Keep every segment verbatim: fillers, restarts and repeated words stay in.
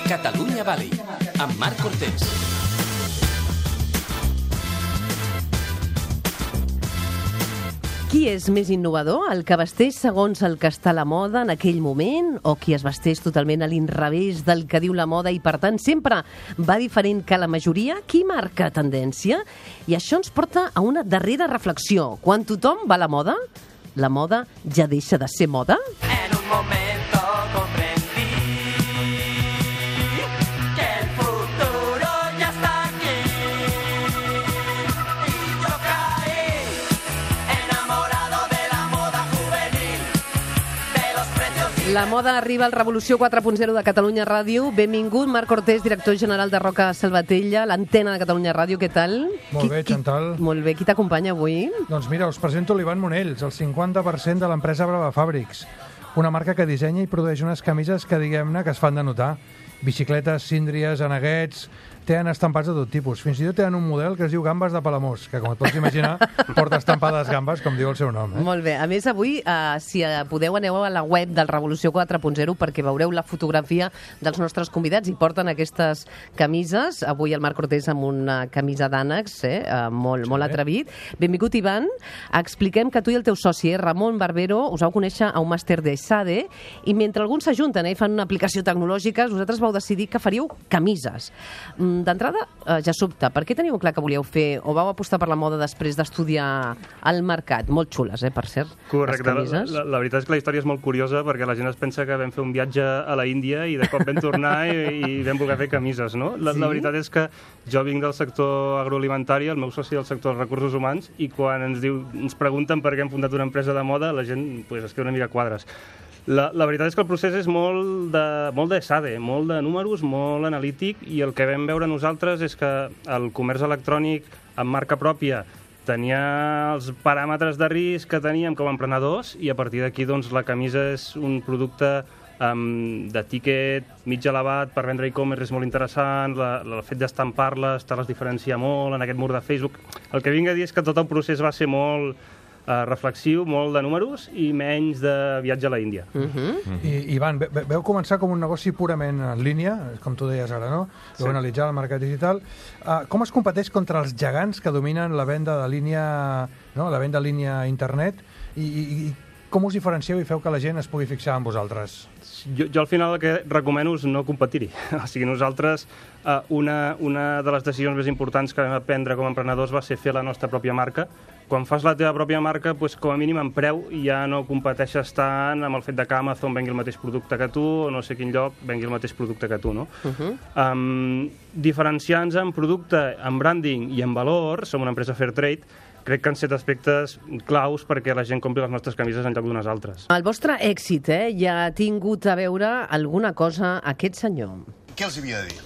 Catalunya Valley, amb Marc Cortés. Qui és més innovador? El que vesteix segons el que està a la moda en aquell moment o qui es vesteix totalment a l'inrevés del que diu la moda i, per tant, sempre va diferent que la majoria? Qui marca tendència? I això ens porta a una darrera reflexió. Quan tothom va a la moda, la moda ja deixa de ser moda? En un momento comprendí que el futuro ya está aquí y yo caí enamorado de la moda juvenil, de los precios. La moda arriba al Revolució quatre punt zero de Catalunya Ràdio. Benvingut, Marc Cortés, director general de Roca Salvatella, l'antena de Catalunya Ràdio. Què tal? Molt bé, Chantal. Qui, molt bé. Qui t'acompanya avui? Doncs mira, us presento l'Ivan Monells, el cinquanta per cent de l'empresa Brava Fabrics, una marca que dissenya i produeix unes camises que, diguem-ne, que es fan de notar. Bicicletes, síndries, aneguets, tenen estampats de tot tipus. Fins i tot tenen un model que es diu Gambes de Palamós, que, com et pots imaginar, porta estampades gambes, com diu el seu nom. Eh? Molt bé. A més, avui, eh, si podeu, aneu a la web del Revolució quatre punt zero perquè veureu la fotografia dels nostres convidats i porten aquestes camises. Avui el Marc Cortés amb una camisa d'ànecs, eh, eh, molt, sí, molt atrevit. Benvingut, Ivan. Expliquem que tu i el teu soci, eh, Ramon Barbero, us vau conèixer a un màster de SADE i mentre alguns s'ajunten eh, i fan una aplicació tecnològica, vosaltres vau decidir que faríeu camises. D'entrada, eh, ja sobta, per què teníeu clar que volíeu fer o vau apostar per la moda després d'estudiar al mercat? Molt xules, eh, per cert, Correcte. les camises. La, la, la veritat és que la història és molt curiosa perquè la gent es pensa que vam fer un viatge a la Índia i de cop vam tornar i, i vam voler fer camises, no? La, sí? la veritat és que jo vinc del sector agroalimentari, el meu soci del sector dels recursos humans, i quan ens, diu, ens pregunten per què hem fundat una empresa de moda, la gent pues, es queda una mica a quadres. La, la veritat és que el procés és molt de, molt de SADE, molt de números, molt analític, i el que vam veure nosaltres és que el comerç electrònic amb marca pròpia tenia els paràmetres de risc que teníem com a emprenedors i a partir d'aquí doncs, la camisa és un producte um, de tiquet mig elevat per vendre e-commerce és molt interessant, la, la, el fet d'estampar-les te les diferencia molt en aquest mur de Facebook. El que vinc a dir és que tot el procés va ser molt Uh, reflexiu, molt de números i menys de viatge a la Índia. Uh -huh. Uh -huh. I, Ivan, ve, veu començar com un negoci purament en línia, com tu deies ara, no? Veu sí. analitzar el mercat digital. Uh, com es competeix contra els gegants que dominen la venda de línia, no? la venda de línia a internet i, i, i com us diferencieu i feu que la gent es pugui fixar en vosaltres? Jo, jo al final el que recomano és no competir-hi. O sigui, nosaltres, uh, una, una de les decisions més importants que vam prendre com a emprenedors va ser fer la nostra pròpia marca. Quan fas la teva pròpia marca, doncs, com a mínim en preu ja no competeixes tant amb el fet de que Amazon vengui el mateix producte que tu o no sé quin lloc vengui el mateix producte que tu, no? Uh -huh. um, diferenciar-nos en producte, en branding i en valor, som una empresa fair trade, crec que han set aspectes claus perquè la gent compri les nostres camises en lloc d'unes altres. El vostre èxit eh, ja ha tingut a veure alguna cosa aquest senyor. Què els havia de dir?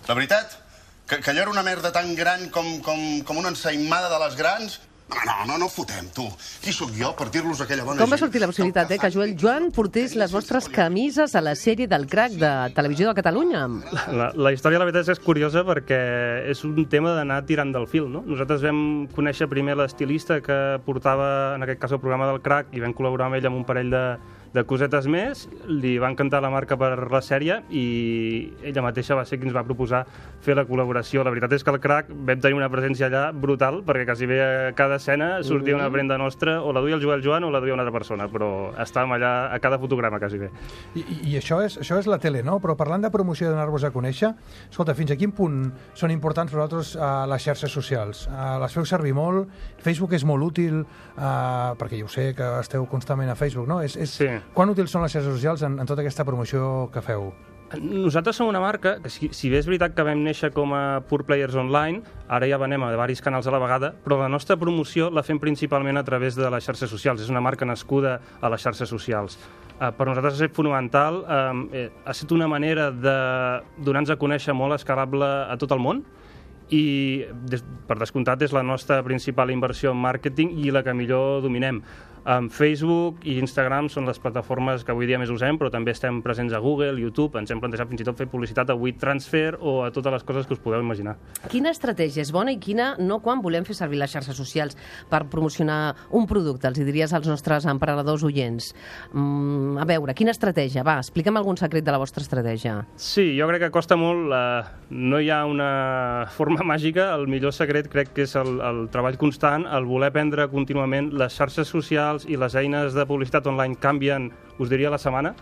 La veritat? Que, que allò era una merda tan gran com, com, com una ensaïmada de les grans? No, no, no, no fotem, tu. Qui sóc jo per dir-los aquella bona gent? Com va sortir la possibilitat eh, que Joel Joan portés les vostres camises a la sèrie del Crac de Televisió de Catalunya? La, la història, la veritat, és curiosa perquè és un tema d'anar tirant del fil, no? Nosaltres vam conèixer primer l'estilista que portava, en aquest cas, el programa del Crac i vam col·laborar amb ell amb un parell de, de cosetes més, li va encantar la marca per la sèrie i ella mateixa va ser qui ens va proposar fer la col·laboració. La veritat és que al Crac vam tenir una presència allà brutal perquè quasi bé a cada escena sortia una prenda nostra, o la duia el Joel Joan o la duia una altra persona, però estàvem allà a cada fotograma quasi bé. I, i, i això, és, això és la tele, no? Però parlant de promoció i donar-vos a conèixer, escolta, fins a quin punt són importants per vosaltres uh, les xarxes socials? Uh, les feu servir molt? Facebook és molt útil, uh, perquè jo sé que esteu constantment a Facebook, no? És, és, sí. Quan útils són les xarxes socials en, en tota aquesta promoció que feu? Nosaltres som una marca que, si, si bé és veritat que vam néixer com a pure players online, ara ja venem a diversos canals a la vegada, però la nostra promoció la fem principalment a través de les xarxes socials. És una marca nascuda a les xarxes socials. Uh, per nosaltres ha estat fonamental, uh, ha estat una manera de donar-nos a conèixer molt escalable a tot el món, i des, per descomptat és la nostra principal inversió en màrqueting i la que millor dominem. Um, Facebook i Instagram són les plataformes que avui dia més usem, però també estem presents a Google, YouTube, ens hem plantejat fins i tot fer publicitat a WeTransfer o a totes les coses que us podeu imaginar. Quina estratègia és bona i quina no quan volem fer servir les xarxes socials per promocionar un producte? Els hi diries als nostres emprenedors oients. Mm, a veure, quina estratègia? Va, explica'm algun secret de la vostra estratègia. Sí, jo crec que costa molt. Eh, no hi ha una forma màgica. El millor secret crec que és el, el treball constant, el voler aprendre contínuament. Les xarxes socials i les eines de publicitat online canvien, us diria, a la setmana,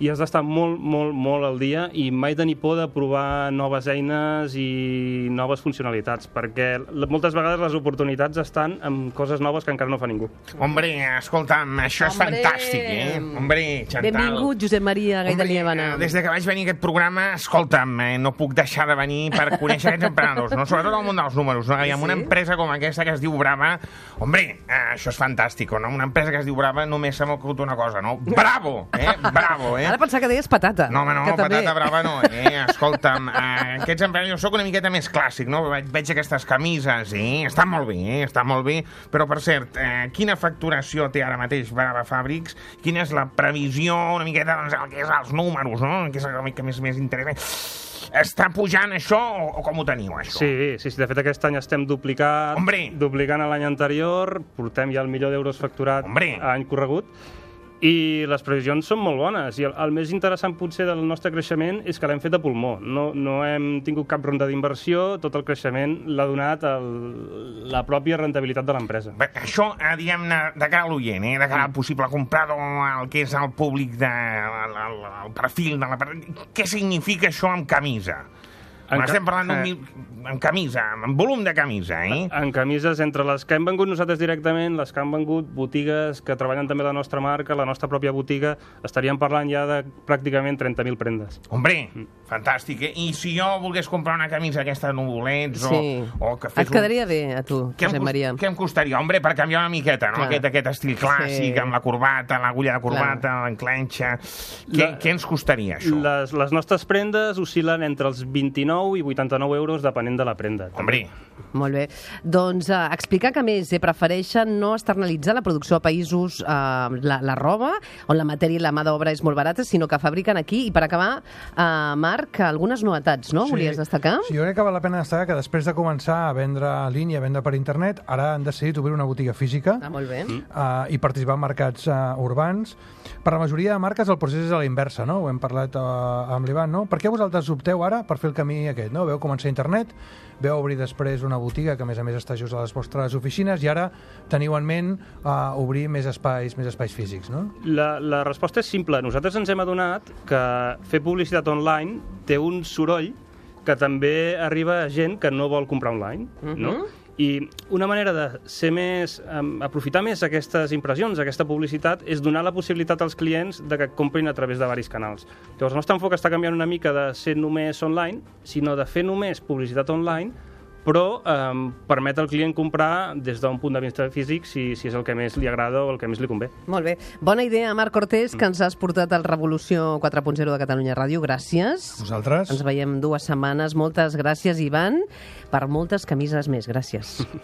i has d'estar molt, molt, molt al dia i mai tenir por de provar noves eines i noves funcionalitats, perquè moltes vegades les oportunitats estan en coses noves que encara no fa ningú. Hombre, escolta'm, això és Hombre. fantàstic, eh? Hombre, Chantal. Benvingut, Josep Maria Gaida Hombre, Liébana. des de que vaig venir a aquest programa, escolta'm, eh, no puc deixar de venir per conèixer aquests emprenedors, no? Sobretot al món dels números, no? I amb una empresa com aquesta que es diu Brava, hombre, eh, això és fantàstic, no? Una empresa que es diu Brava només se m'ha ocorregut una cosa, no? Bravo, eh? Bravo, eh? Ara pensava que deies patata. No, home, no, que també... patata brava no, eh? Escolta'm, eh, aquests emprenedors, jo soc una miqueta més clàssic, no? Veig, veig aquestes camises, eh? Estan molt bé, eh? Estan molt bé, però, per cert, eh, quina facturació té ara mateix Brava Fabrics? Quina és la previsió, una miqueta, doncs, el que és els números, no? Que és el que més, més interessa. Està pujant això o, o com ho teniu, això? Sí, sí, sí, de fet aquest any estem duplicant, Hombre. duplicant l'any anterior, portem ja el milió d'euros facturat Hombre. a any corregut, i les previsions són molt bones, i el, el més interessant potser del nostre creixement és que l'hem fet a pulmó, no, no hem tingut cap ronda d'inversió, tot el creixement l'ha donat el, la pròpia rentabilitat de l'empresa. Bé, això, eh, diguem-ne, de cara a l'oient, eh? De cara al possible comprador, el que és el públic, de, el, el, el perfil de la... Què significa això amb camisa? En ca- Estem parlant d'un eh. mil... amb camisa, amb volum de camisa, eh? En camises, entre les que hem vengut nosaltres directament, les que han vengut botigues que treballen també la nostra marca, la nostra pròpia botiga, estaríem parlant ja de pràcticament trenta mil prendes. Hombre, fantàstic, eh? I si jo volgués comprar una camisa aquesta de nuvolets o, Sí. o que fes Et quedaria bé, a tu, Què em, Josep cost- Maria. què em costaria? Hombre, per canviar una miqueta, no? Clar. Aquest, aquest estil clàssic, Sí. amb la corbata, l'agulla de corbata, l'enclenxa... Què, La- què ens costaria, això? Les, les nostres prendes oscil·len entre els vint-i-nou i vuitanta-nou euros, depenent de la prenda. Hombre, Molt bé. Doncs uh, explicar que, a més, eh, prefereixen no externalitzar la producció a països, uh, la, la roba, on la matèria i la mà d'obra és molt barata, sinó que fabriquen aquí. I per acabar, uh, Marc, algunes novetats, no? Volies destacar? Sí, jo crec que val la pena destacar que després de començar a vendre en línia, a vendre per internet, ara han decidit obrir una botiga física Ah, molt bé. uh, i participar en mercats uh, urbans. Per la majoria de marques el procés és a la inversa, no? Ho hem parlat uh, amb l'Ivan, no? Per què vosaltres opteu ara per fer el camí aquest, no? Veu començar a internet, veu obrir després una botiga que a més a més està just a les vostres oficines i ara teniu en ment uh, obrir més espais, més espais físics, no? La, la resposta és simple. Nosaltres ens hem adonat que fer publicitat online té un soroll que també arriba a gent que no vol comprar online, no? I una manera de ser més, um, aprofitar més aquestes impressions, aquesta publicitat, és donar la possibilitat als clients de que comprin a través de varis canals. Llavors, el nostre enfoc està canviant una mica de ser només online, sinó de fer només publicitat online, però um, permet al client comprar des d'un punt de vista físic si, si és el que més li agrada o el que més li convé. Molt bé. Bona idea, Marc Cortés, que ens has portat al Revolució quatre punt zero de Catalunya Ràdio. Gràcies. Vosaltres? Ens veiem dues setmanes. Moltes gràcies, Ivan, per moltes camises més. Gràcies.